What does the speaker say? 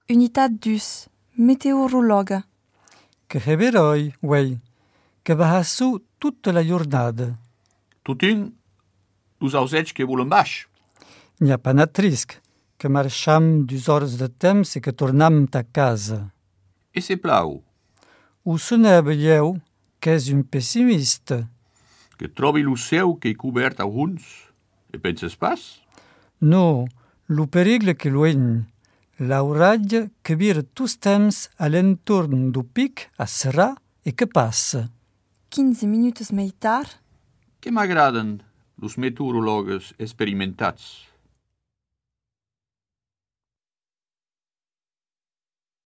Unitat dus, meteorologa. Que heberoi, uei, que va su tutta la giornada. Tutin, dus ausets que volen baix. N'hi pas nat risc, que marcham 2 hores de temps e que tornam a casa. E se plau, O sonava eu, que és un pessimista. que trobi lo seu que cobert a huns. E penses pas? No, lo perigle que luegn, l'auratge que vira tous temps a l'entorn do pic a serrar e que passa. 15 minutos mai tard, Que m'agraden los meteorologues experimentats.